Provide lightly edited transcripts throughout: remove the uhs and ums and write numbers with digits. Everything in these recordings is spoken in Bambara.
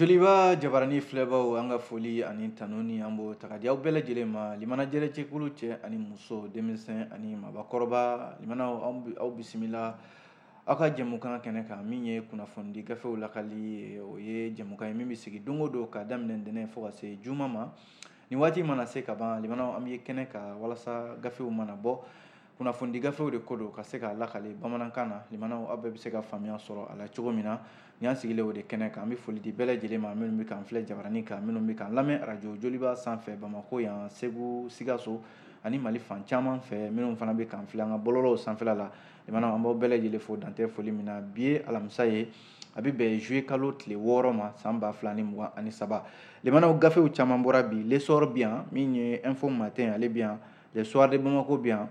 Joliba jabarani filɛbaw, an ka foli ani tanuni an b'o ta ka di aw bɛɛ lajɛlen ma. Limana jɛrɛcɛkulu, cɛ ani muso, denmisɛn ani mabakɔrɔba, limanaw, aw bisimila aw ka jɛmukan kɛnɛ kan, min ye kunnafonidi gafew lakali ye. O ye jɛmukan ye min bɛ sigi don o don ka daminɛ ntɛnɛn fo ka se juma ma. Nin waati mana se ka ban, limanaw, an bɛ kɛnɛ kan walasa gafew mana bɔ, kunnafonidi gafew de ko don, ka se k'a lakale bamanankan na. Limanaw, aw bɛɛ bɛ se ka faamuya sɔrɔ a la cogo min na. Nin y'an sigilen o de kɛnɛ kan. An bɛ foli di bɛɛ lajɛlen ma, minnu bɛ k'an filɛ jabarani kan, minnu bɛ k'an lamɛn arajo Joliba sanfɛ Bamakɔ yan, Segu, Sikaso ani Mali fan caman fɛ, minnu fana bɛ k'an filɛ an ka bɔlɔlɔw sanfɛla la. Limanaw, an b'aw bɛɛ lajɛlen fo dantɛ foli min na. Bi ye alamisa ye, a bɛ bɛn juillet kalo tile 6 ma, san 2023. Limanaw, gafew caman bɔra bi. L'Essor bi yan, min ye Info Matin ale bi yan, Le Soir de Bamako bi yan,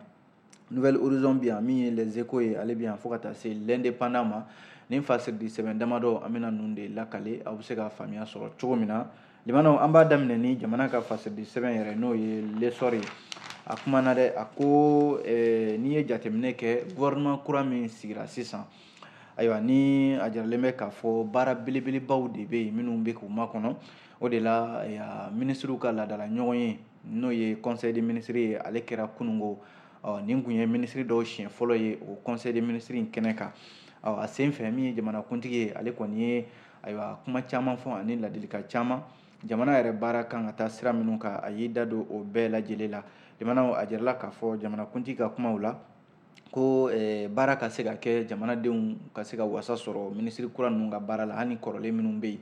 Nouvel Horizon bi yan, min ye Les Échos ye ale bi yan, fo ka taa se L'Indépendant ma. Nin fasiridi sɛbɛn damadɔ, an bɛna ninnu de lakale, aw bɛ se ka faamuya sɔrɔ cogo min na. Limanaw, an b'a daminɛ ni jamana ka fasiridi sɛbɛn yɛrɛ, n'o ye L'Essor ye. A kumana dɛ, a ko n'i ye jateminɛ kɛ, gouvernement kura min sigira sisan, ayiwa, ni a jiralen bɛ k'a fɔ baara belebelebaw de bɛ yen minnu bɛ k'u makɔnɔ. O de la minisiriw ka laadala ɲɔgɔn ye, n'o ye conseil des ministres ye, ale kɛra kunungo. Ɔ nin kun ye minisiri dɔw siɲɛ fɔlɔ ye o conseil des ministres in kɛnɛ kan. Ɔ a sen fɛ, min ye jamanakuntigi ye, ale kɔni ye, ayiwa, kuma caman fɔ ani ladilikan caman, jamana yɛrɛ baara kan ka taa sira minnu kan, a y'i da don o bɛɛ lajɛlen la. Jamanaw, a jirala k'a fɔ jamanakuntigi ka kumaw la ko baara ka se ka kɛ, jamanadenw ka se ka wasa sɔrɔ minisiri kura ninnu ka baara la, hali kɔrɔlen minnu bɛ yen.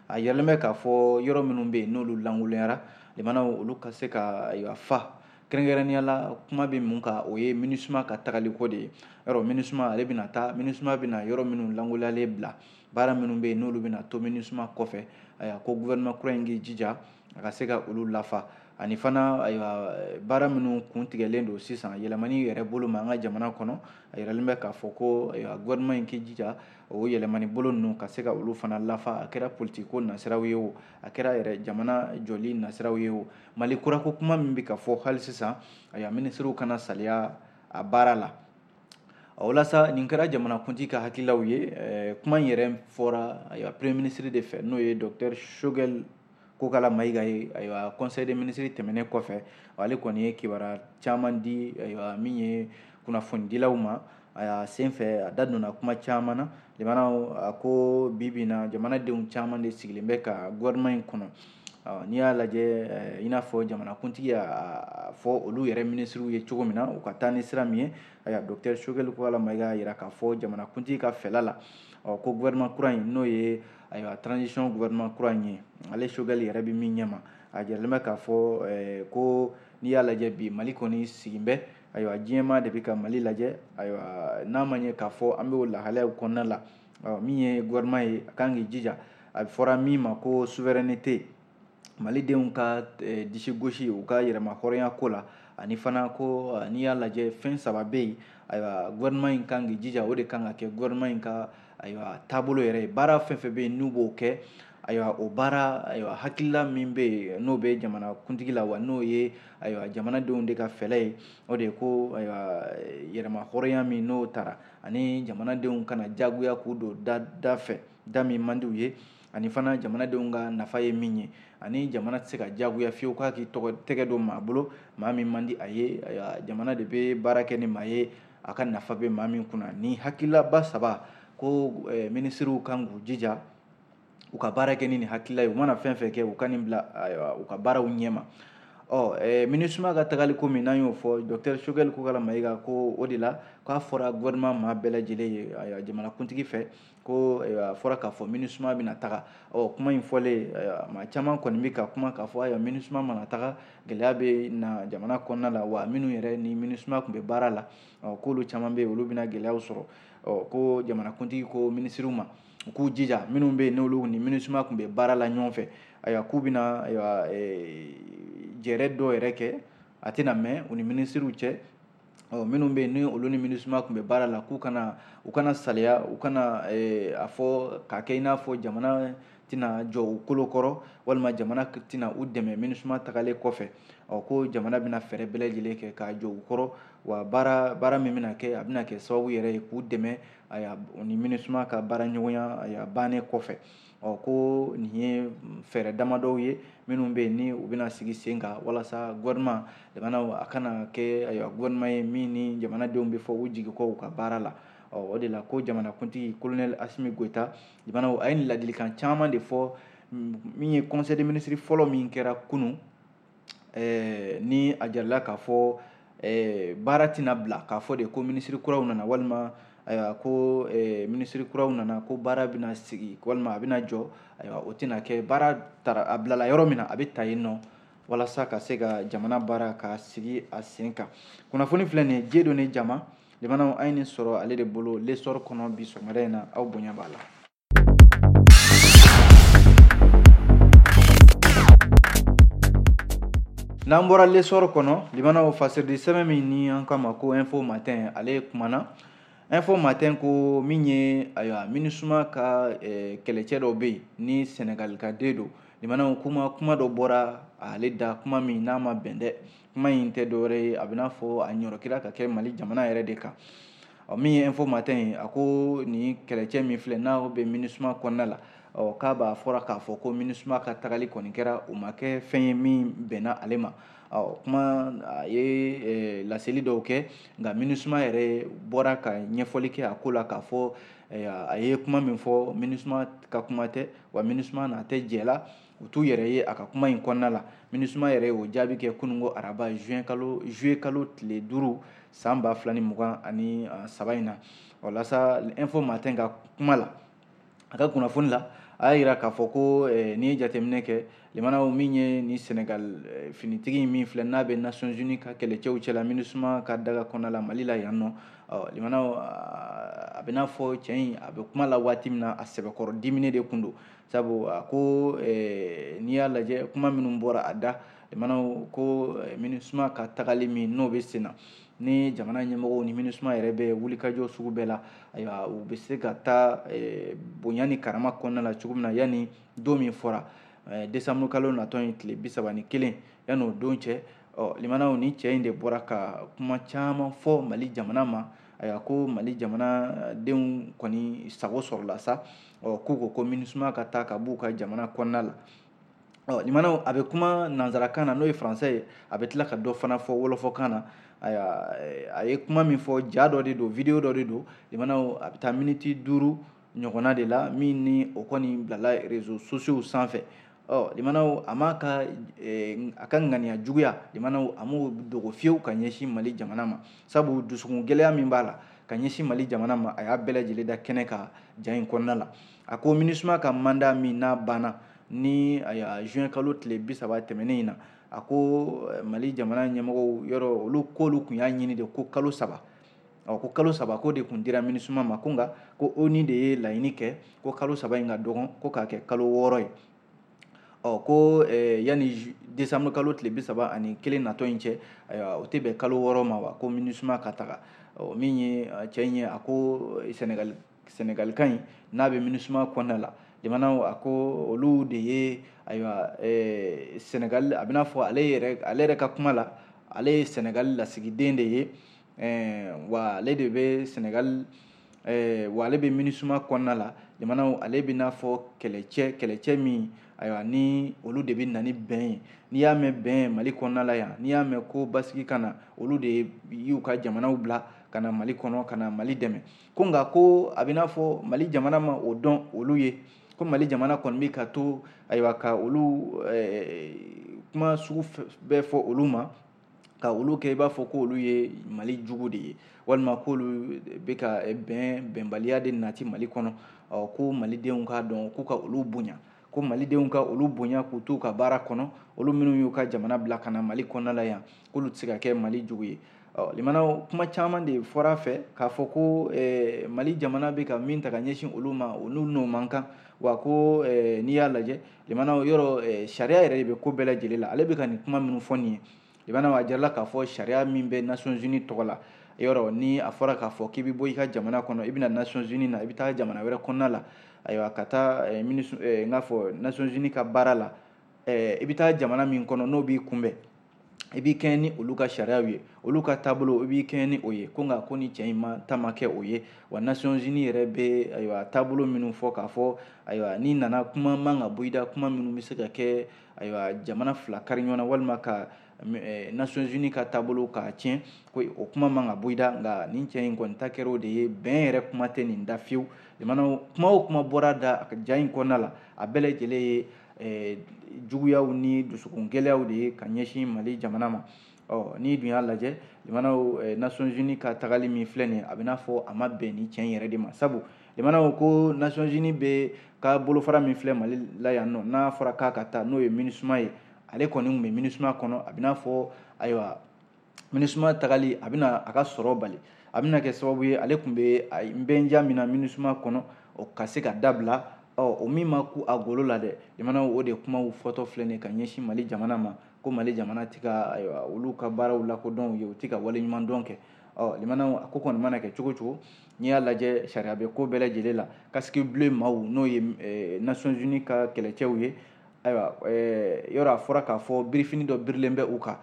A yiralen bɛ k'a fɔ yɔrɔ minnu bɛ yen n'olu lankolonyara, limanaw, olu ka se ka, ayiwa, fa. Kɛrɛnkɛrɛnnenya la, kuma bɛ mun kan? O ye MINUSMA ka tagaliko de ye. Yɔrɔ MINUSMA ale bɛna taa, MINUSMA bɛna yɔrɔ minnu lankolonyalen bila, baara minnu bɛ yen n'olu bɛna to MINUSMA kɔfɛ, ayiwa, ko gouvernement kura in k'i jija a ka se ka olu lafa. Ani fana, ayiwa, baara minnu kun tigɛlen don sisan yɛlɛmani yɛrɛ bolo ma an ka jamana kɔnɔ, a yiralen bɛ k'a fɔ ko, ayiwa, gouvernement in k'i jija o yɛlɛmani bolo ninnu ka se ka olu fana lafa. A kɛra politiki ko nasiraw ye o, a kɛra yɛrɛ jamana jɔli nasiraw ye o, Mali kurako kuma min bɛ ka fɔ hali sisan, ayiwa, minisiriw kana saliya a baara la. O la sa, nin kɛra jamanakuntigi ka hakililaw ye. Kuma in yɛrɛ fɔra, ayiwa, premier ministre de fɛ, n'o ye docteur Choguel Kokala Mayiga ye. Ayiwa, conseil des ministres tɛmɛnen kɔfɛ, ale kɔni ye kibaruya caman di, ayiwa, min ye kunnafonidilaw ma. A sen fɛ, a da donna kuma caman na. Limanaw, a ko bi bi in na, jamanadenw caman de sigilen bɛ ka gouvernement in kɔnɔ. N'i y'a lajɛ, i n'a fɔ jamanakuntigi y'a fɔ olu yɛrɛ minisiriw ye cogo min na, u ka taa ni sira min ye, ayiwa, docteur Choguel Kokala Mayiga y'a jira k'a fɔ jamanakuntigi ka fɛla la, ɔ ko gouvernement kura in, n'o ye, ayiwa, transition gouvernement kura in ye, ale Choguel yɛrɛ bɛ min ɲɛma, a jiralen bɛ k'a fɔ ko n'i y'a lajɛ bi, Mali kɔni sigin bɛ, ayiwa, diɲɛmaa de bɛ ka Mali lajɛ. Ayiwa, n'a ma ɲɛ k'a fɔ an bɛ o lahalayaw kɔnɔna la, min ye gouvernement ye, a kan k'i jija, a fɔra min ma ko souveraineté, malidenw ka disi gosi u ka yɛrɛma hɔrɔnya ko la. Ani fana ko n'i y'a lajɛ, fɛn saba bɛ yen, ayiwa, gouvernement in kan k'i jija, o de kan ka kɛ gouvernement in ka, ayiwa, taabolo yɛrɛ ye. Baara fɛn fɛn bɛ yen n'u b'o kɛ, ayiwa, o baara, ayiwa, hakilila min bɛ yen n'o bɛ jamana kuntigi la, wa n'o ye, ayiwa, jamanadenw de ka fɛlɛ ye, o de ye ko, ayiwa, yɛrɛma hɔrɔnya min n'o taara, ani jamanadenw kana jagoya k'u don da da fɛ, da min man di u ye, ani fana jamanadenw ka nafa ye min ye, ani jamana tɛ se ka jagoya fiyewu k'a k'i tɔgɔ tɛgɛ don maa bolo, maa min man di a ye. Ayiwa, jamana de bɛ baara kɛ ni maa ye a ka nafa bɛ maa min kunna. Ni hakililaba saba ko minisiriw kan k'u jija u ka baara kɛ ni nin hakilila ye, u mana fɛn fɛn kɛ, u ka nin bila, ayiwa, u ka baaraw ɲɛma. Ɔ MINUSMA ka tagali ko min n'an y'o fɔ, docteur Choguel Kokala Mayiga ko o de la k'a fɔra gouvernement maa bɛɛ lajɛlen ye, ayiwa, jamanakuntigi fɛ, ko a fɔra k'a fɔ MINUSMA bɛna taga. Ɔ kuma in fɔlen, maa caman kɔni bɛ ka kuma k'a fɔ, ayiwa, MINUSMA mana taga, gɛlɛya bɛ na jamana kɔnɔna la, wa minnu yɛrɛ ni MINUSMA tun bɛ baara la, ɔ k'olu caman bɛ yen, olu bɛna gɛlɛyaw sɔrɔ. Ɔ ko jamanakuntigi ko minisiriw ma u k'u jija, minnu bɛ yen n'olu ni MINUSMA tun bɛ baara la ɲɔgɔn fɛ, ayiwa, k'u bɛna, ayiwa, jɛrɛ dɔw yɛrɛ kɛ, a tɛna mɛn u ni minisiriw cɛ. Ɔ minnu bɛ yen ni olu ni MINUSMA tun bɛ baara la, k'u kana, u kana saliya, u kana a fɔ k'a kɛ i n'a fɔ jamana tɛna jɔ u kolo kɔrɔ, walima jamana tɛna u dɛmɛ MINUSMA tagalen kɔfɛ. Ɔ ko jamana bɛna fɛɛrɛ bɛɛ lajɛlen kɛ k'a jɔ u kɔrɔ, wa baara min bɛna kɛ, a bɛna kɛ sababu yɛrɛ ye k'u dɛmɛ, ayiwa, u ni MINUSMA ka baara ɲɔgɔnya, ayiwa, bannen kɔfɛ. Ɔ ko nin ye fɛɛrɛ damadɔw ye minnu bɛ yen ni u bɛna sigi sen kan walasa gouvernement jamana a kana kɛ ayiwa gouvernement ye min ni jamanadenw bɛ fɔ u jigi kɔ u ka baara la. Ɔ o de la ko jamanakuntigi colonel Assimi Goïta jamana a ye nin ladilikan caman de fɔ min ye conseil des ministres fɔlɔ min kɛra kunun, ni a jarala k'a fɔ baara tɛna bila k'a fɔ de ko ministre kuraw nana walima ayiwa ko ministre kuraw nana ko baara bɛna sigi walima a bɛna jɔ. Ayiwa o tɛna kɛ, baara taara a bilala yɔrɔ min na a bɛ ta yen nɔ walasa ka se ka jamana baara ka sigi a sen kan. Kunnafoni filɛ nin ye Dieudonné Jama jamana an ye nin sɔrɔ ale de bolo L'Essor kɔnɔ bi sɔgɔmada in na, aw bonya b'a la. N'an bɔra L'Essor kɔnɔ, limanaw fasiridi sɛbɛn min ni an k'a ma ko Info Matin, ale kumana. Info Matin ko min ye ayiwa MINUSMA ka kɛlɛcɛ dɔ bɛ yen ni Senegal ka den don, limanaw kuma dɔ bɔra ale da, kuma min n'a ma bɛn dɛ. Kuma in tɛ dɔwɛrɛ ye, a bɛ n'a fɔ a ɲɔrɔkira ka kɛ Mali jamana yɛrɛ de kan. Ɔ min ye Info Matin ye, a ko nin kɛlɛcɛ min filɛ n'a bɛ MINUSMA kɔnɔna la, ɔ k'a b'a fɔra k'a fɔ ko MINUSMA ka tagali kɔni kɛra o ma kɛ fɛn ye min bɛnna ale ma. Ɔ kuma a ye laseli dɔw kɛ, nka MINUSMA yɛrɛ bɔra ka ɲɛfɔli kɛ a ko la k'a fɔ a ye kuma min fɔ MINUSMA ka kuma tɛ, wa MINUSMA n'a tɛ jɛ la, u t'u yɛrɛ ye a ka kuma in kɔnɔna la. MINUSMA yɛrɛ y'o jaabi kɛ kununko araba juillet kalo tile 5 san 2023 in na. Walasa Info Matin ka kuma la, a ka kunnafoni la, a y'a yira k'a fɔ ko n'i ye jateminɛ kɛ limanaw min ye ni Senegal finitigi min filɛ n'a bɛ Nations Unies ka kɛlɛcɛw cɛla MINUSMA ka daga kɔnɔna la Mali la yan nɔ, ɔ limanaw a bɛ n'a fɔ cɛ in a bɛ kuma la waati min na a sɛbɛkɔrɔ diminen de kun don, sabu a ko n'i y'a lajɛ kuma minnu bɔra a da, limanaw ko MINUSMA ka tagali min n'o bɛ sen na ni jamana ɲɛmɔgɔw ni MINUSMA yɛrɛ bɛ wulikajɔ sugu bɛɛ la, ayiwa u bɛ se ka taa bonya ni karama kɔnɔna la cogo min na yanni don min fɔra décembre kalo natɔ in tile 31 yanni o don cɛ. Ɔ limanaw ni cɛ in de bɔra ka kuma caman fɔ Mali jamana ma, ayiwa ko Mali jamanadenw kɔni sago sɔrɔla sa, ɔ k'u ko MINUSMA ka taa ka b'u ka jamana kɔnɔna la. Ɔ limanaw a bɛ kuma nanzarakan na n'o ye français ye, a bɛ tila ka dɔ fana fɔ wɔlɔfɔkan na. Ayiwa a ye kuma min fɔ ja dɔ de don, vidéo dɔ de don, limanaw a bɛ taa miniti 5 ɲɔgɔnna de la min ni o kɔni bilala réseaux sociaux sanfɛ. Ɔ limanaw a m'a ka a ka ŋaniya juguya, limanaw a m'o dogo fiyewu ka ɲɛsin Mali jamana ma, sabu dusukun gɛlɛya min b'a la ka ɲɛsin Mali jamana ma, a y'a bɛɛ lajɛlen da kɛnɛ kan ja in kɔnɔna la. A ko MINUSMA ka mandat min n'a banna ni ayiwa juin kalo tile 30 tɛmɛnen in na, a ko Mali jamana ɲɛmɔgɔw yɔrɔ olu k'olu kun y'a ɲini de ko kalo 3, ɔ ko kalo 3 ko de kun dira MINUSMA ma, ko nka ko ONU de ye laɲini kɛ ko kalo 3 in ka dɔgɔn ko k'a kɛ kalo 6 ye. Ɔ ko yanni décembre kalo tile 31 natɔ in cɛ, ayiwa o tɛ bɛn kalo 6 ma wa, ko MINUSMA ka taga. Ɔ min ye cɛ in ye, a ko Senegal kan in n'a bɛ MINUSMA kɔnɔna la, limanaw a ko olu de ye ayiwa Senegal, a bɛna fɔ ale yɛrɛ ka kuma la, ale ye Senegal lasigiden de ye, wa ale de bɛ Senegal, wa ale bɛ MINUSMA kɔnɔna la, limanaw ale bɛna fɔ kɛlɛcɛ min ayiwa ni olu de bɛ na ni bɛn ye. N'i y'a mɛn bɛn Mali kɔnɔna la yan, n'i y'a mɛn ko basigi ka na, olu de y'u ka jamanaw bila ka na Mali kɔnɔ ka na Mali dɛmɛ. Ko nka ko a bɛ n'a fɔ Mali jamana ma o dɔn olu ye, ko Mali jamana kɔni bɛ ka to ayiwa ka olu kuma sugu bɛɛ fɔ olu ma, ka olu kɛ i b'a fɔ ko olu ye Mali jugu de ye, walima k'olu bɛ ka bɛnbaliya de nati Mali kɔnɔ. Ɔ ko Malidenw k'a dɔn k'u ka olu bonya, ko Malidenw ka olu bonya k'u t'u ka baara kɔnɔ, olu minnu y'u ka jamana bila ka na Mali kɔnɔna la yan, k'olu tɛ se ka kɛ Mali jugu ye. Ɔ limanaw kuma caman de fɔra a fɛ k'a fɔ ko Mali jamana bɛ ka min ta ka ɲɛsin olu ma, olu n'o man kan, wa ko n'i y'a lajɛ limanaw yɔrɔ sariya yɛrɛ de bɛ ko bɛɛ lajɛlen la. Ale bɛ ka nin kuma minnu fɔ nin ye, limanaw a jarala k'a fɔ sariya min bɛ Nations Unies tɔgɔ la, yɔrɔ ni a fɔra k'a fɔ k'i bɛ bɔ i ka jamana kɔnɔ, i bɛ na Nations Unies na, i bɛ taa jamana wɛrɛ kɔnɔna la, ayiwa ka taa n k'a fɔ Nations Unies ka baara la, i bɛ taa jamana min kɔnɔ n'o b'i kunbɛn, i b'i kɛɲɛ ni olu ka sariyaw ye, olu ka taabolo i b'i kɛɲɛ ni o ye. Ko nka ko ni cɛ in ma ta ma kɛ o ye. Wa Nations Unies yɛrɛ bɛ ayiwa taabolo minnu fɔ k'a fɔ ayiwa n'i nana kuma man ka bɔ i da, kuma minnu bɛ se ka kɛ ayiwa jamana fila kari ɲɔgɔn na walima ka Nations Unies ka taabolo k'a tiɲɛ, ko o kuma man ka bɔ i da. Nka nin cɛ in kɔni ta kɛra o de ye, bɛn yɛrɛ kuma tɛ nin da fiyewu. Jamana kuma o kuma bɔra da a ka ja in kɔnɔna la, a bɛɛ lajɛlen ye juguyaw ni dusukun gɛlɛyaw de ye ka ɲɛsin Mali jamana ma. Ɔ n'i dun y'a lajɛ jamanaw, Nations Unies ka tagali min filɛ nin ye, a bɛ n'a fɔ a ma bɛn ni cɛ in yɛrɛ de ma. Sabu jamanaw ko Nations Unies bɛ ka bolofara min filɛ Mali la yan nɔ, n'a fɔra k'a ka taa n'o ye MINUSMA ye, ale kɔni tun bɛ MINUSMA kɔnɔ. A bɛ n'a fɔ ayiwa MINUSMA tagali a bɛna a ka sɔrɔ bali, a bɛna kɛ sababu ye ale tun bɛ nbɛnja min na MINUSMA kɔnɔ o ka se ka dabila. Ɔ o min ma ku a golo la dɛ, jamanaw o de kumaw fɔtɔ filɛ nin ye ka ɲɛsin Mali jamana ma, ko Mali jamana tɛ ka ayiwa olu ka baaraw lakodɔn u ye, u tɛ ka waleɲumandɔn kɛ. Ɔ limanaw a ko kɔni mana kɛ cogo cogo, n'i y'a lajɛ sariya bɛ ko bɛɛ lajɛlen la. Casque bleu maaw n'o ye Nations Unies ka kɛlɛcɛw ye, ayiwa yɔrɔ a fɔra k'a fɔ birifini dɔ birilen bɛ u kan.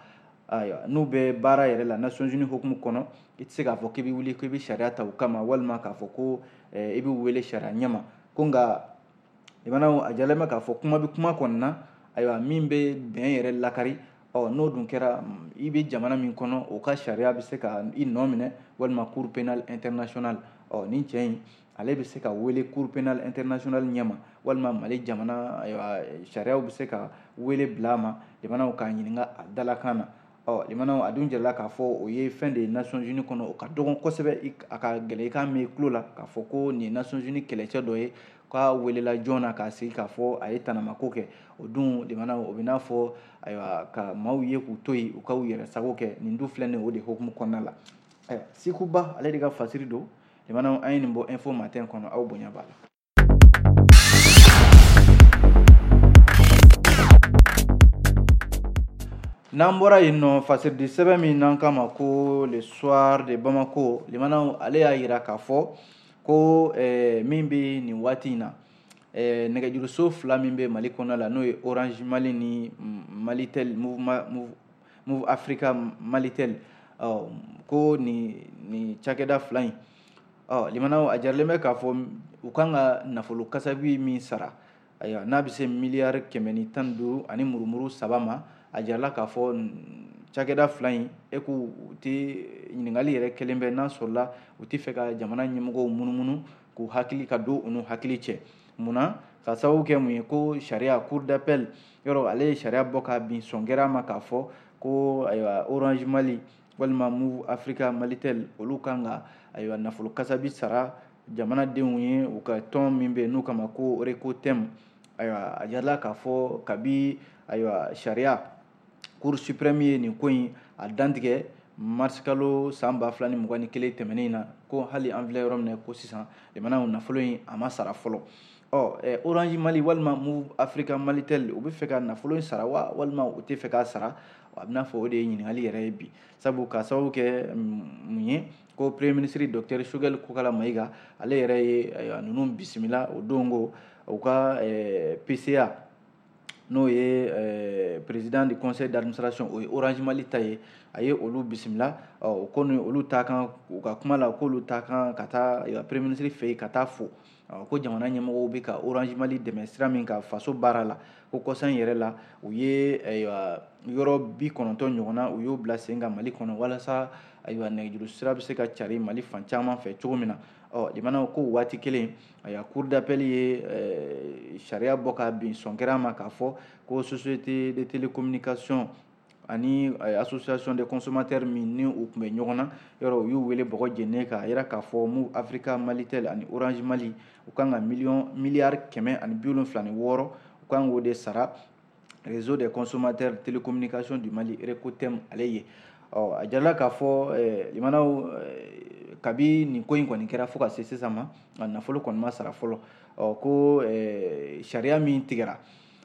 Ayiwa n'u bɛ baara yɛrɛ la Nations Unies hukumu kɔnɔ, i tɛ se k'a fɔ k'i bɛ wuli k'i bɛ sariya ta u kama, walima k'a fɔ ko i b'u wele sariya ɲɛma. Ko nka limanaw a jalen bɛ k'a fɔ kuma bɛ kuma kɔni na, ayiwa min bɛ bɛn yɛrɛ lakari. Ɔ n'o dun kɛra i bɛ jamana min kɔnɔ, o ka sariya bɛ se ka i nɔ minɛ, walima Cour pénale internationale. Ɔ nin cɛ in ale bɛ se ka wele Cour pénale internationale ɲɛma, walima Mali jamana ayiwa sariyaw bɛ se ka wele bila a ma, jamanaw k'a ɲininka a dalakan na. Ɔ limanaw a dun jirala k'a fɔ o ye fɛn de ye Nations Unies kɔnɔ, o ka dɔgɔn kosɛbɛ, a ka gɛlɛn i k'a mɛn i tulo la k'a fɔ ko nin ye Nations Unies kɛlɛcɛ dɔ ye k'a welela joona k'a sigi k'a fɔ a ye tanamako kɛ. O dun limanaw o bɛ n'a fɔ ayiwa ka maaw ye k'u to yen u k'u yɛrɛ sago kɛ. Nin dun filɛ nin ye o de hukumu kɔnɔna la. Ayiwa Sikuba ale de ka fasiri don. Limanaw an ye nin bɔ Info Matin kɔnɔ, aw bonya b'a la. N'an bɔra yen nɔ, fasiridi sɛbɛn min n'an k'a ma ko Le Soir de Bamako, limanaw ale y'a yira k'a fɔ ko min bɛ nin waati in na, nɛgɛjuruso fila min bɛ Mali kɔnɔ la, n'o ye Orange Mali ni Malitel, Moov Africa Malitel, ko nin cakɛda fila in, limanaw a jarilen bɛ k'a fɔ u kan ka nafolo kasabi min sara, ayiwa n'a bɛ se miliyari 115 ani murumuru 3 ma, a jarala k'a fɔ cakɛda fila in e k'u tɛ ɲininkali yɛrɛ kelen bɛ n'a sɔrɔla u tɛ fɛ ka jamana ɲɛmɔgɔw munumunu k'u hakili ka don u n'u hakili cɛ. Munna? Ka sababu kɛ mun ye, ko sariya cour d'appel yɔrɔ ale ye sariya bɔ ka bin sɔn kɛra a ma k'a fɔ ko ayiwa Orange Mali walima Moov Africa Malitel olu kan ka ayiwa nafolo kasabi sara jamanadenw ye u ka tɔn min bɛ yen n'u kama ko Recotem. Ayiwa a jarala k'a fɔ kabi ayiwa sariya Cour suprême ye nin ko in a dantigɛ mars kalo san 2021 tɛmɛnen na, ko hali an filɛ yɔrɔ min na ko sisan jamanaw nafolo in a ma sara fɔlɔ. Ɔ Orange Mali walima Moov Africa Malitel u bɛ fɛ ka nafolo in sara wa walima u tɛ fɛ k'a sara? A bɛna fɔ o de ye ɲininkali yɛrɛ ye bi. Sabu ka sababu kɛ mun ye, ko Premier ministre docteur Choguel Kokalla Maïga ale yɛrɛ ye ayiwa ninnu bisimila o don ko u ka PCA n'o ye président du conseil d'administration, o ye Orange Mali ta ye, a ye olu bisimila. Ɔ o ko ni olu ta kan u ka kuma la k'olu ta kan ka taa premier ministre fɛ yen ka taa fo ko jamana ɲɛmɔgɔw bɛ ka Orange Mali dɛmɛ sira min kan faso baara la, ko kɔsan in yɛrɛ la u ye ayiwa yɔrɔ 90 ɲɔgɔnna u y'o bila sen kan Mali kɔnɔ walasa ayiwa nɛgɛjuru sira bɛ se ka cari Mali fan caman fɛ cogo min na. Ɔ limanaw ko waati kelen ayiwa cour d'appel ye sariya bɔ ka bin sɔn kɛra a ma k'a fɔ ko société de télécommunication ani association des consommateurs min ni u tun bɛ ɲɔgɔn na yɔrɔ u y'u wele bɔgɔ jeninen k'a yira k'a fɔ Moov Africa Malitel ani Orange Mali u kan ka miliyari 176 u kan k'o de sara réseau des consommateurs télécommunications du Mali Recotem ale ye. Ɔ a jarala k'a fɔ limanaw kabi nin ko in kɔni kɛra fo ka se sisan ma, a nafolo kɔni ma sara fɔlɔ. Ɔ ko sariya min tigɛra,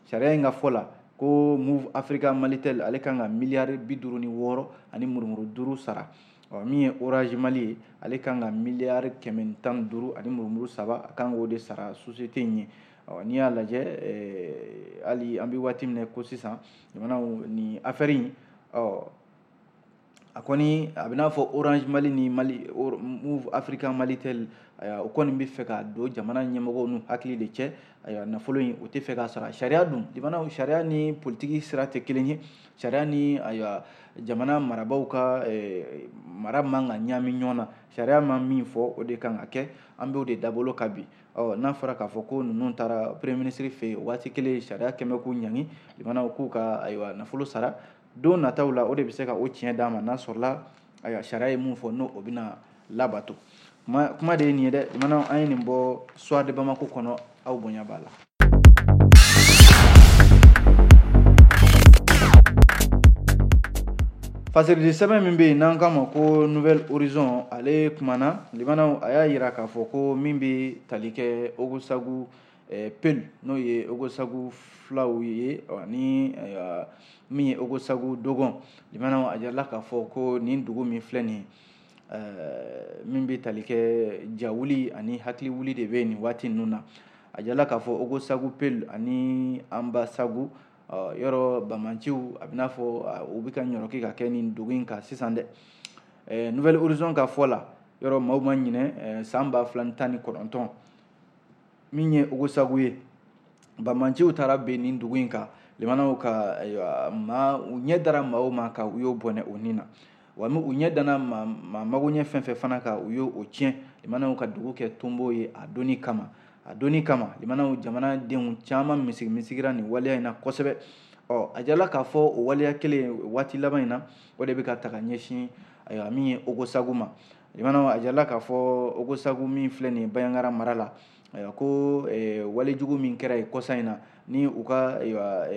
sariya in ka fɔ la ko Moov Africa Malitel ale kan ka miliyari 56 ani murumuru 5 sara. Ɔ min ye Orange Mali ye, ale kan ka miliyari 115 ani murumuru 3 a kan k'o de sara société in ye. Ɔ n'i y'a lajɛ hali an bɛ waati min na ko sisan jamanaw nin affaire in, ɔ A kɔni a bɛ n'a fɔ Orange Mali ni Mali Moov Africa Malitel, ayiwa, o kɔni bɛ fɛ ka don jamana ɲɛmɔgɔw n'u hakili de cɛ. Ayiwa, nafolo in, o tɛ fɛ k'a sara. Sariya dun, limanaw, sariya ni politiki sira tɛ kelen ye. Sariya ni, ayiwa, jamana marabaaw ka mara man ka ɲaami ɲɔgɔn na. Sariya ma min fɔ, o de kan ka kɛ. An b'o de dabolo ka bi. Ɔ, n'a fɔra k'a fɔ ko ninnu taara premier ministre fɛ yen, waati kelen sariya kɛmɛ k'u ɲangi, limanaw, k'u ka, ayiwa, nafolo sara don nataw la, o de bɛ se ka o tiɲɛ d'a ma, n'a sɔrɔla, ayiwa, sariya ye mun fɔ, n'o o bɛna labato. Kuma de ye nin ye dɛ. Limanaw, an ye nin bɔ Soir de Bamako kɔnɔ. Aw bonya b'a la. Fasiridi sɛbɛn min bɛ yen n'an k'a ma ko Nouvel Horizon, ale kumana. Limanaw, a y'a yira k'a fɔ ko min bɛ tali kɛ Ogosagu Peul, n'o ye Ogosagu filaw ye, ani min ye Ogosagu Dogon, limanaw, a jirala k'a fɔ ko nin dugu min filɛ nin ye, min bɛ tali kɛ jawuli ani hakili wuli de bɛ nin waati ninnu na. A jirala k'a fɔ Ogosagu Peul ani Anbasagu yɔrɔ bamanciw, a bɛ n'a fɔ u bɛ ka ɲɔrɔki ka kɛ nin dugu in kan sisan dɛ. Nouvel Horizon ka fɔ la, yɔrɔ maaw ma ɲinɛ san 2019, min ye Ogosagu ye, bamanciw taara ben nin dugu in kan. Limanaw, ka, ayiwa, maa u ɲɛ dara maaw ma ka u y'o bɔnɛ o nin na, wa u ɲɛ dana maa mago ɲɛ fɛn fɛn fana kan, u y'o tiɲɛ. Limanaw, ka dugu kɛ tonbo ye a donni kama. A donni kama, limanaw, jamanadenw caman misigi misigira nin waleya in na kosɛbɛ. Ɔ, a jirala k'a fɔ o waleya kelen, waati laban in na, o de bɛ ka ta ka ɲɛsin, ayiwa, min ye Ogosagu ma. Limanaw, a jirala k'a fɔ Ogosagu min filɛ nin ye Bandiagara mara la, ayiwa, ko walejugu min kɛra yen kɔsa in na, ni u ka, ayiwa,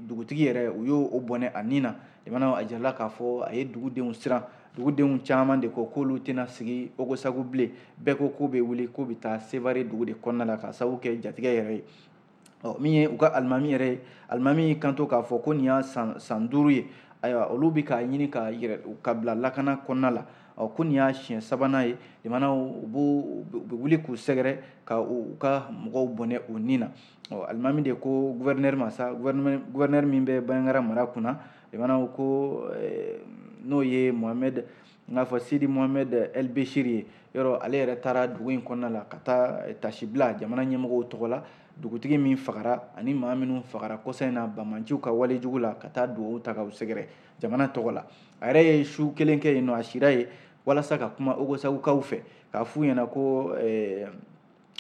dugutigi yɛrɛ, u y'o o bɔnɛ a nin na. Limanaw, a jirala k'a fɔ a ye dugudenw siran. Dugudenw caman de ko k'olu tɛna sigi Ogosagu bilen. Bɛɛ ko k'u bɛ wuli k'u bɛ taa Sevare dugu de kɔnɔna la, k'a sababu kɛ jatigɛ yɛrɛ ye. Ɔ, min ye u ka alimami yɛrɛ ye, alimami y'i kanto k'a fɔ ko nin y'a san 5 ye, ayiwa, olu bɛ k'a ɲini ka yɛrɛ ka bila lakana kɔnɔna la. Ɔ, ko nin y'a siɲɛ sabanan ye, limanaw, u bɛ wuli k'u sɛgɛrɛ ka u ka mɔgɔw bɔnɛ u nin na. Ɔ, alimami de ko gouverneur ma sa, gouverneur min bɛ Bandiagara mara kunna, limanaw, ko n'o ye Mohamed, n k'a fɔ Sidi Mohamed El Bechir ye, yɔrɔ ale yɛrɛ taara dugu in kɔnɔna la ka taa tasibila jamana ɲɛmɔgɔw tɔgɔ la, dugutigi min fagara ani maa minnu fagara kɔsa in na bamanciw ka walejugu la, ka taa dugawu ta k'u sɛgɛrɛ jamana tɔgɔ la. A yɛrɛ ye su kelen kɛ yen nɔ, a sira ye walasa ka kuma Ogosagukaw fɛ, k'a f'u ɲɛna ko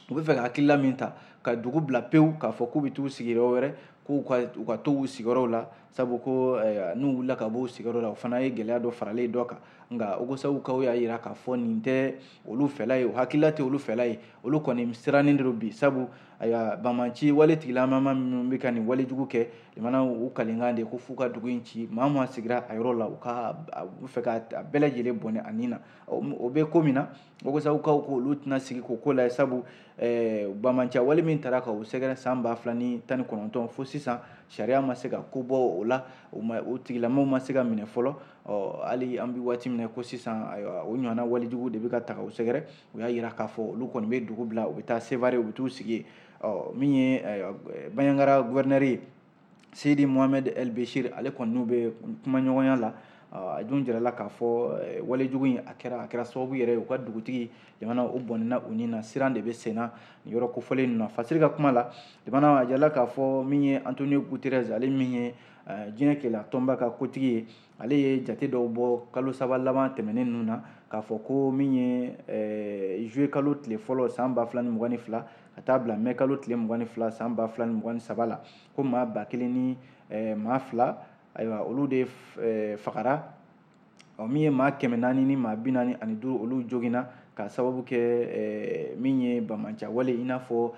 u bɛ fɛ ka hakilila min ta ka dugu bila pewu, k'a fɔ k'u bɛ t'u sigi yɔrɔ wɛrɛ, k'u ka u ka to u sigiyɔrɔw la, sabu ko n'u wulila ka bɔ u sigiyɔrɔ la, o fana ye gɛlɛya dɔ faralen dɔ kan. Nka Ogosagukaw y'a yira k'a fɔ nin tɛ olu fɛla ye, o hakilila tɛ olu fɛla ye. Olu kɔni sirannen de don bi, sabu, ayiwa, bamanci wale tigilamama minnu bɛ ka nin walejugu kɛ, limanaw, u kalenkan de ko f'u ka dugu in ci. Maa maa sigira a yɔrɔ la, u ka u bɛ fɛ ka a bɛɛ lajɛlen bɔnɛ a nin na. O bɛ ko min na, Ogosagukaw ko olu tɛna sigi k'o ko lajɛ, sabu bamanciya wale min taara ka u sɛgɛrɛ san 2019 fo sisan, sariya ma se ka ko bɔ o la, o ma o tigilamaw ma se ka minɛ fɔlɔ. Ɔ, hali an bɛ waati min na ko sisan, ayiwa, o ɲɔgɔnna walejugu de bɛ ka ta u sɛgɛrɛ. U y'a yira k'a fɔ olu kɔni bɛ dugu bila, u bɛ taa Sevare, u bɛ t'u sigi yen. Ɔ, min ye Bandiagara gouverneur ye, Sidi Mohamed El Bechir, ale kɔni n'u bɛ kumaɲɔgɔnya la. A dun jirala k'a fɔ walejugu in a kɛra sababu yɛrɛ ye u ka dugutigi, jamana, o bɔnɛna u nin na. Siran de bɛ sen na nin yɔrɔ kofɔlen ninnu na. Fasiri ka kuma la, jamana, a jirala k'a fɔ min ye Antonio Guterres, ale min ye diɲɛ keleya tɔnba ka kotigi ye, ale ye jate dɔw bɔ kalo 3 laban tɛmɛnen ninnu na, k'a fɔ ko min ye juillet kalo tile fɔlɔ san 2022 ka taa bila mai kalo tile 22 san 2023 la, ko maa 1002, ayiwa, olu de fagara. Ɔ, min ye maa 445, olu joginna ka sababu kɛ min ye bamanciya wale, i n'a fɔ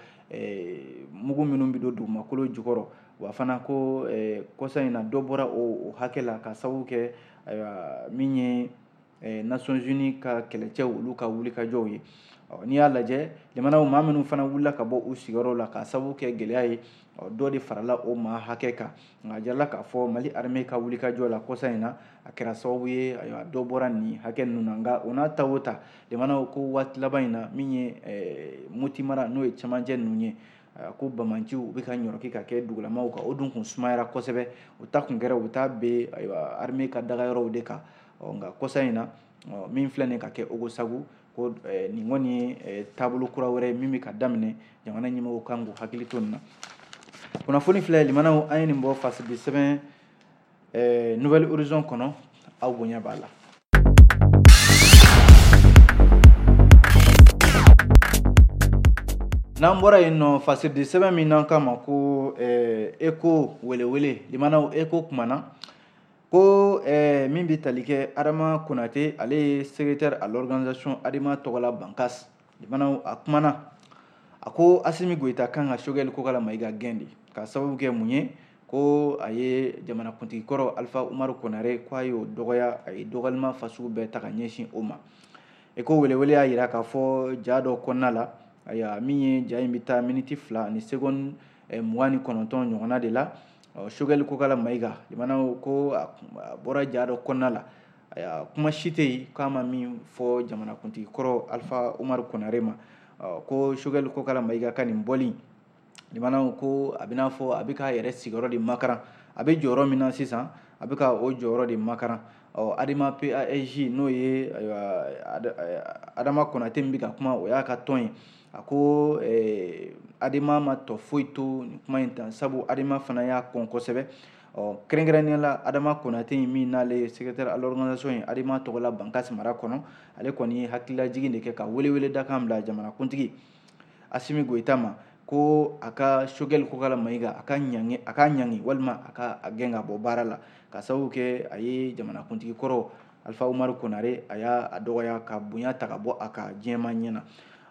mugu minnu bɛ don dugumakolo jukɔrɔ. Wa fana ko kɔsa in na, dɔ bɔra o hakɛ la ka sababu kɛ, ayiwa, min ye Nations Unies ka kɛlɛcɛw, olu ka wulikajɔw ye. N'i y'a lajɛ, jamanaw, maa minnu fana wulila ka bɔ u sigiyɔrɔw la ka sababu kɛ gɛlɛya ye, dɔ de farala o maa hakɛ kan. Nka a jirala k'a fɔ Mali armée ka wulikajɔ la kɔsa in na, a kɛra sababu ye, ayiwa, dɔ bɔra nin hakɛ ninnu na. Nka o n'a ta o ta, jamanaw, ko waati laban in na, min ye Moti mara, n'o ye cɛmancɛ ninnu ye, ko bamanciw u bɛ ka ɲɔrɔki ka kɛ dugulamaw kan, o dun kun sumayara kosɛbɛ. O ta kun kɛra u bɛ taa ben, ayiwa, armée ka dagayɔrɔw de kan. Nka kɔsa in na min filɛ nin ka kɛ Ogosagu, ko nin kɔni ye taabolo kura wɛrɛ ye min bɛ ka daminɛ, jamana ɲɛmɔgɔw kan k'u hakili to nin na. Kunnafoni filɛ limanaw, an ye nin bɔ fasidi sɛbɛn Nouvel Horizon kɔnɔ, aw bonya b'a la. N'an bɔra yen nɔ, fasidi sɛbɛn min n'an k'a ma ko Eko welewele, limanaw Eko kumana ko min bɛ tali kɛ Adama Konate, ale ye secrétaire à l'organisation Adema tɔgɔla Bankas. Limanaw a kumana, a ko Asimi Goyita kan ka Choguel Kokala Mayiga gɛn de, k'a sababu kɛ mun ye, ko a ye jamanakuntigi kɔrɔ Alpha Umaru Konare, ko a y'o dɔgɔya, a ye dɔgɔyalima fasugu bɛɛ ta ka ɲɛsin o ma. Eko welewele y'a yira k'a fɔ ja dɔ kɔnɔna la, ayiwa min ye ja in bɛ taa miniti 2 ni seconde 29 ɲɔgɔnna de la. Choguel Kokala Mayiga, limanaw ko a bɔra ja dɔ kɔnɔna la, ayiwa kuma si tɛ yen k'a ma min fɔ jamanakuntigi kɔrɔ Alpha Umaru Konare ma. Ko Choguel Kokala Mayiga ka nin bɔli, limanaw ko a bɛna fɔ a bɛ k'a yɛrɛ sigiyɔrɔ de makaran, a bɛ jɔyɔrɔ min na sisan a bɛ ka o jɔyɔrɔ de makaran. Adema PASJ n'o ye ayiwa Adama Konate min bɛ ka kuma, o y'a ka tɔn ye. A ko Adema ma tɔ foyi to nin kuma in tan, sabu Adema fana y'a kɔn kosɛbɛ. Kɛrɛnkɛrɛnnenya la Adama Konate min n'ale ye secrétaire à l'organisation ye Adema tɔgɔla Bankas mara kɔnɔ, ale kɔni ye hakililajigin de kɛ ka welewele dakan bila jamanakuntigi Asimi Goyita ma, ko a ka Choguel Kokala Mayiga a ka ɲangi, a ka ɲangi walima a ka a gɛn ka bɔ baara la, ka sababu kɛ a ye jamanakuntigi kɔrɔ Alpha Umaru Konare a y'a dɔgɔya ka bonya ta ka bɔ a ka diɲɛmaa ɲɛ na.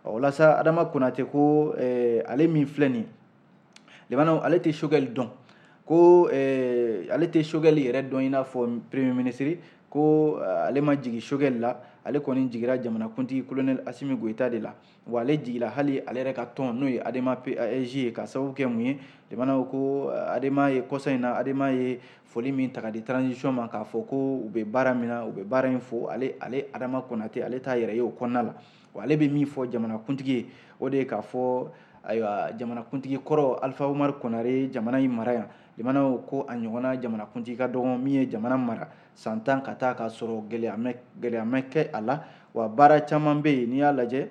Walasa Adama Konate ko ale min filɛ nin ye, limanaw ale tɛ Choguel dɔn, ko ale tɛ Choguel yɛrɛ dɔn i n'a fɔ premier ministre, ko ale ma jigin Choguel la, ale kɔni jigira jamanakuntigi colonel Asimi Goyita de la. Wa ale jigila hali ale yɛrɛ ka tɔn n'o ye Adema PASJ ye, ka sababu kɛ mun ye, limanaw ko Adema ye kɔsa in na, Adema ye foli min ta ka di transition ma k'a fɔ ko u bɛ baara min na, u bɛ baara in fo, ale Adama Konate ale t'a yɛrɛ ye o kɔnɔna la. Wa ale bɛ min fɔ jamanakuntigi ye, o de ye k'a fɔ ayiwa jamanakuntigi kɔrɔ Alpha Umaru Konare ye jamana in mara yan, limanaw ko a ɲɔgɔnna jamanakuntigi ka dɔgɔn min ye jamana mara san 10 ka taa k'a sɔrɔ gɛlɛya ma kɛ a la. Wa baara caman bɛ yen n'i y'a lajɛ,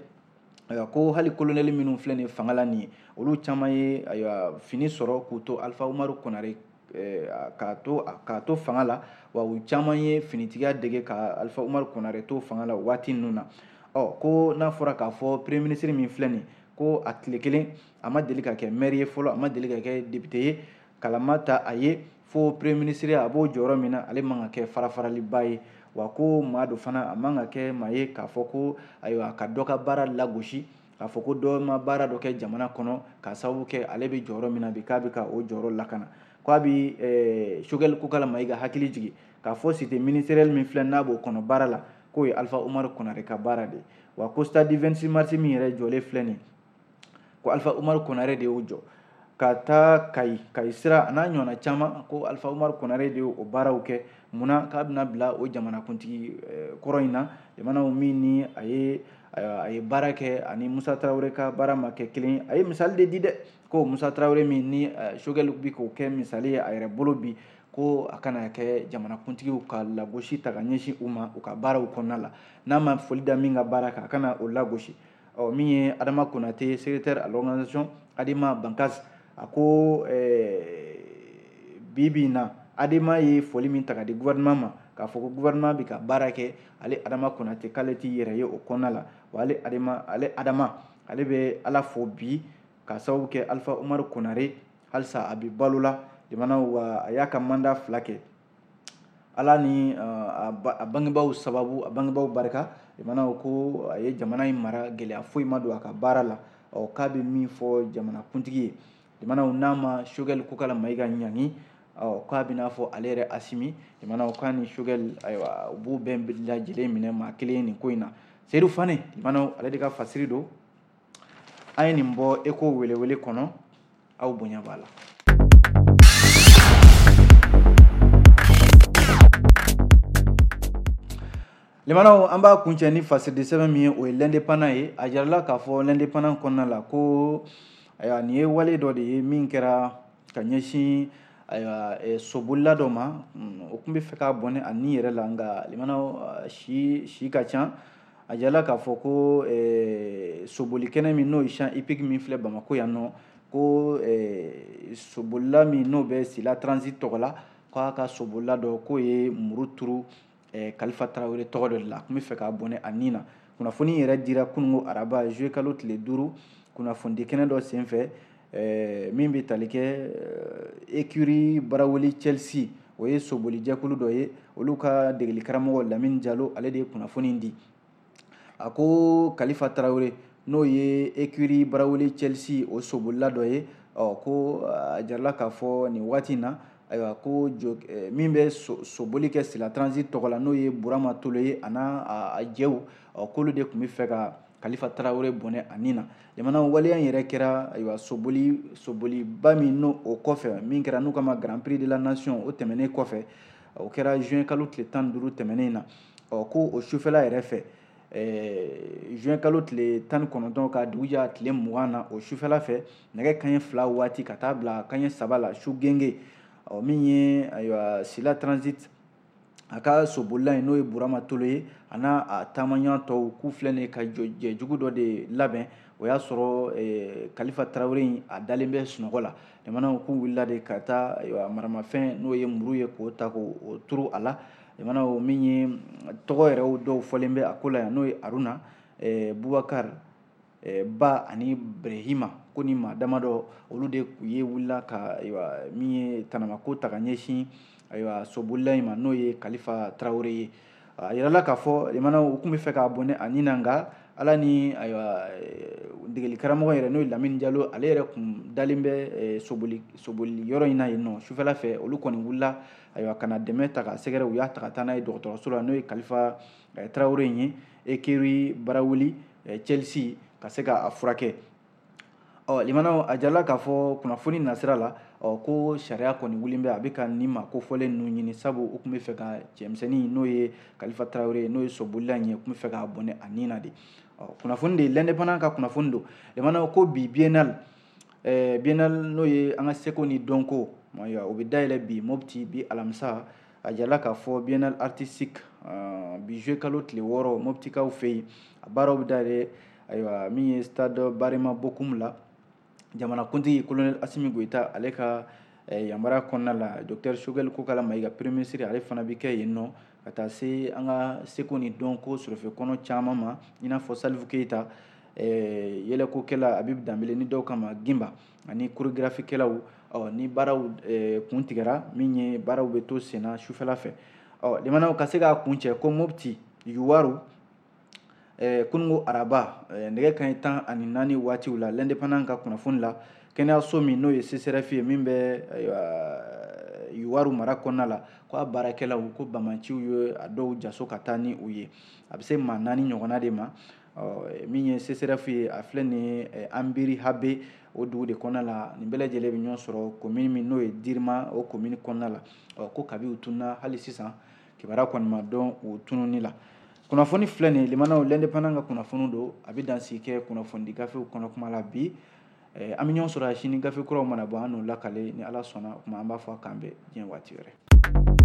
ayiwa ko hali colonel minnu filɛ nin ye fanga la nin ye, olu caman ye ayiwa fini sɔrɔ k'u to Alpha Umaru Konare k'a to fanga la, wa u caman ye finitigiya dege ka Alpha Umaru Konare to fanga la waati ninnu na. Ko n'a fɔra k'a fɔ premier ministre min filɛ nin ye, ko a tile kelen a ma deli ka kɛ maire ye fɔlɔ, a ma deli ka kɛ député ye, kalama ta a ye fo premier ministre a b'o jɔyɔrɔ min na, ale man ka kɛ farafaraliba ye. Wa ko maa dɔ fana a man ka kɛ maa ye k'a fɔ ko ayiwa ka dɔ ka baara lagosi, k'a fɔ ko dɔ ma baara dɔ kɛ jamana kɔnɔ k'a sababu kɛ ale bɛ jɔyɔrɔ min na bi k'a bɛ ka o jɔyɔrɔ lakana. K'a bɛ Choguel Kokala Mayiga hakili jigin k'a fɔ cité ministérielle min filɛ n'a b'o kɔnɔ baara la, k'o ye Alpha Umaru Konare ka baara de ye. Wa ko stade 26 mars min yɛrɛ jɔlen filɛ nin ye, ko Alpha Umaru Konare de y'o jɔ, ka taa Kayi sira a n'a ɲɔgɔnna caman, ko Alpha Umaru Konare de y'o baaraw kɛ. Munna k'a bɛna bila o jamanakuntigi kɔrɔ in na, jamanaw min ni a ye baara kɛ ani Musa Tarawele ka baara ma kɛ kelen ye. A ye misali de di dɛ, ko Musa Tarawele min ni Choguel bi k'o kɛ misali ye a yɛrɛ bolo bi, ko a kana kɛ jamanakuntigiw ka lagosi ta ka ɲɛsin u ma u ka baaraw kɔnɔna la, n'a ma foli da min ka baara kan a kana o lagosi. Min ye Adama Konate secrétaire à l'organisation Adema Bankas, a ko bi bi in na Adema ye foli min ta ka di gouvernement ma k'a fɔ ko gouvernement bɛ ka baara kɛ, ale Adama Konate k'ale t'i yɛrɛ ye o kɔnɔna la. Wa ale Adama ale bɛ Ala fo bi k'a sababu kɛ Alpha Umaru Konare halisa a bɛ balo la, jamana wa a y'a ka mandat 2 kɛ, Ala ni a bangebaaw sababu, a bangebaaw barika, jamana ko a ye jamana in mara, gɛlɛya foyi ma don a ka baara la. K'a bɛ min fɔ jamanakuntigi ye, jamanaw n'a ma Choguel Kokala Mayiga ɲangi, k'a bɛna fɔ ale yɛrɛ Asimi, jamanaw k'a ni Choguel ayiwa u b'u bɛɛ lajɛlen minɛ maa kelen nin ko in na. Seydou Fane, jamanaw ale de ka fasiri don, an ye nin bɔ Eko welewele kɔnɔ, aw bonya b'a la. Limanaw an b'a kuncɛ ni fasiridi sɛbɛn min ye, o ye l'indépendant ye. A jirala k'a fɔ l'indépendant kɔnɔna la ko ayiwa nin ye wale dɔ de ye min kɛra ka ɲɛsin Ayiwa, sobolila dɔ ma, o tun bɛ fɛ k'a bɔnɛ a ni yɛrɛ la, nka limanaw si ka ca. A jala k'a fɔ ko sobolikɛnɛ min n'o ye champ hippique min filɛ Bamakɔ yan nɔ, ko sobolila min n'o bɛ Sila Transit tɔgɔ la, k'a ka sobolila dɔ k'o ye muru turu Kalifa Tarawele tɔgɔ dɔ de la, a tun bɛ fɛ k'a bɔnɛ a ni na. Kunnafoni yɛrɛ dira kununko araba juillet kalo tile 5 kunnafonidi kɛnɛ dɔ senfɛ, min bɛ tali kɛ écurie Baraweli Chelsea, o ye sobolijɛkulu dɔ ye, olu ka degeli karamɔgɔ Lamine Jalo, ale de ye kunnafoni di. A ko Kalifa Tarawele, n'o ye écurie Baraweli Chelsea o sobolila dɔ ye, ɔ ko a jarala k'a fɔ nin waati in na, ayiwa, ko min bɛ soboli kɛ Sila Transit tɔgɔ la, n'o ye Burama Tolo ye, a n'a a jɛw, ɔ k'olu de tun bɛ fɛ ka Kalifa Tarawele bɔnɛ a ni na. Jamana waleya in yɛrɛ kɛra, ayiwa, soboliba min n'o o kɔfɛ min kɛra n'u kama Grand Prix de la Nation, o tɛmɛnen kɔfɛ, o kɛra juin kalo tile 15 tɛmɛnen na. Ɔ ko o sufɛla yɛrɛ fɛ, juin kalo tile 19 ka dugujɛ tile 20 na, o sufɛla fɛ nɛgɛ kanɲɛ 2 waati ka taa bila kanɲɛ 3 la su genge, ɔ min ye, ayiwa, Sila Transit a ka sobolila in n'o ye Burama Tolo ye, a n'a a taamaɲɔgɔn tɔw, k'u filɛ nin ye ka jɛjugu dɔ de labɛn. O y'a sɔrɔ Kalifa Tarawele in a dalen bɛ sunɔgɔ la. Jamanaw k'u wulila de ka taa, ayiwa, maramafɛn n'o ye muru ye, k'o ta k'o turu a la. Jamanaw min ye tɔgɔ yɛrɛ dɔw fɔlen bɛ a ko la yan, n'o ye Aruna, Bubakar Ba ani Brehima, ko ni maa damadɔ, olu de ye wulila ka, ayiwa, min ye tanamako ta ka ɲɛsin, ayiwa, sobolila in ma, n'o ye Kalifa Tarawele ye. A yirala k'a fɔ limanaw, u tun bɛ fɛ k'a bɔnɛ a ni na, nka Ala ni, ayiwa, degeli karamɔgɔ yɛrɛ n'o ye Lamine Jalo, ale yɛrɛ kun dalen bɛ soboli yɔrɔ in na yen nɔ. Sufɛla fɛ, olu kɔni wulila, ayiwa, ka na dɛmɛ ta k'a sɛgɛrɛ. U y'a ta ka taa n'a ye dɔgɔtɔrɔso la, n'o ye Kalifa Tarawele in ye, écurie Baraweli Chelsea, ka se k'a furakɛ. Ɔ limanaw, a jala k'a fɔ kunnafoni nasira la, ɔ ko sariya kɔni wulilen bɛ, a bɛ ka nin maa kofɔlen ninnu ɲini, sabu u tun bɛ fɛ ka cɛmisɛnnin n'o ye Kalifa Tarawele, n'o ye sobolila in ye, u tun bɛ fɛ k'a bɔnɛ a ni na de. Ɔ kunnafoni de l'Indépendant ka kunnafoni don. Limanaw, ko bi biennale, biennale n'o ye an ka seko ni dɔnko, o bɛ dayɛlɛ bi Mopti, bi alamisa. A jala k'a fɔ biennale artistique, bi juillet kalo tile 6, Moptikaw fɛ yen, a baaraw bɛ dayɛlɛ, ayiwa, min ye stade Barema Bokum la, jamanakuntigi colonel Assimi Goïta ale ka yamaruya kɔnɔna la. Docteur Choguel Kokalla Maïga, premier ministre, ale fana bɛ kɛ yen nɔ, ka taa se an ka seko ni dɔnko sɔrɔfɛ kɔnɔ caman ma, i n'a fɔ Salifu Keyita, yɛlɛkokɛla Habib Danbele ni dɔw kama Gimba, ani chorégraphiekɛlaw. Ɔ ni baaraw kun tigɛra, min ye baaraw bɛ to senna sufɛla fɛ. Ɔ limanaw, ka se k'a kun cɛ, ko Mopti Youwarou, kununko araba nɛgɛ kanɲɛ 14 waatiw la, l'Indépendant ka kunnafoni la, kɛnɛyaso min n'o ye CSRéf ye, min bɛ, ayiwa, Youwarou mara kɔnɔna la, ko a baarakɛlaw, ko bamaciw ye a dɔw jaso ka taa ni u ye, a bɛ se maa 4 ɲɔgɔnna de ma. Ɔ min ye CSRéf ye, a filɛ nin ye Anbiri Habe, o dugu de kɔnɔna la. Nin bɛɛ lajɛlen bɛ ɲɔgɔn sɔrɔ commune min n'o ye Dirima, o commune kɔnɔna la. Ɔ ko kabi u tununa, hali sisan kibaruya kɔni ma dɔn u tununi la. Kunnafoni filɛ nin ye, limanaw, l'Indépendant ka kunnafoni don. A bɛ dansigi kɛ kunnafonidi gafew kɔnɔ kuma la bi. An bɛ ɲɔgɔn sɔrɔ sini, gafe kuraw mana bɔ, an n'o lakale ni Ala sɔnna. O tuma an b'a fɔ k'an bɛn diɲɛ waati wɛrɛ.